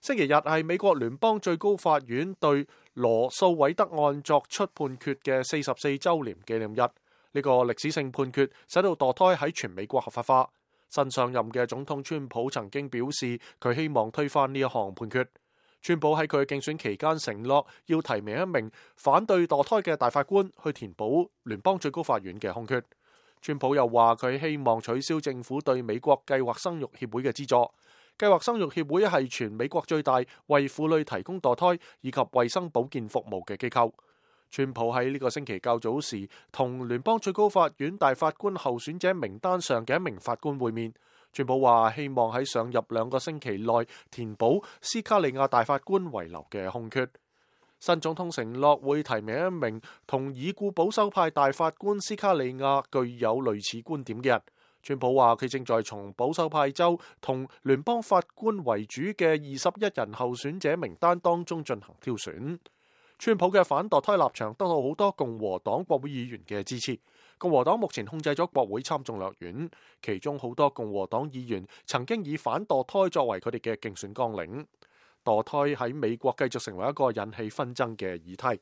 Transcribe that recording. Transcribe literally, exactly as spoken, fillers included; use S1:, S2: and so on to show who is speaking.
S1: 星期日係美國聯邦最高法院對羅訴韋德案作出判決嘅四十四週年紀念日。呢個歷史性判決使到墮胎喺全美國合法化。新上任嘅總統川普曾經表示，佢希望推翻呢一項判決。川普喺佢競選期間承諾要提名一名反對墮胎嘅大法官去填補聯邦最高法院嘅空缺。川普又話佢希望取消政府對美國計劃生育協會嘅資助。計劃生育協會係全美國最大為婦女提供墮胎以及衛生保健服務嘅機構。川普喺呢個星期較早時同聯邦最高法院大法官候選者名單上嘅一名法官會面。川普話希望喺上任兩個星期內填補斯卡利亞大法官遺留嘅空缺。新總統承諾會提名一名同已故保守派大法官斯卡利亞具有類似觀點嘅人。川普話佢正在從保守派州同聯邦法官為主嘅二十一人候選者名單當中進行挑選。川普嘅反墮胎立場得到好多共和黨國會議員嘅支持。共和黨目前控制咗國會參眾兩院，其中好多共和黨議員曾經以反墮胎作為佢哋嘅競選綱領。墮胎喺美國繼續成為一個引起紛爭嘅議題。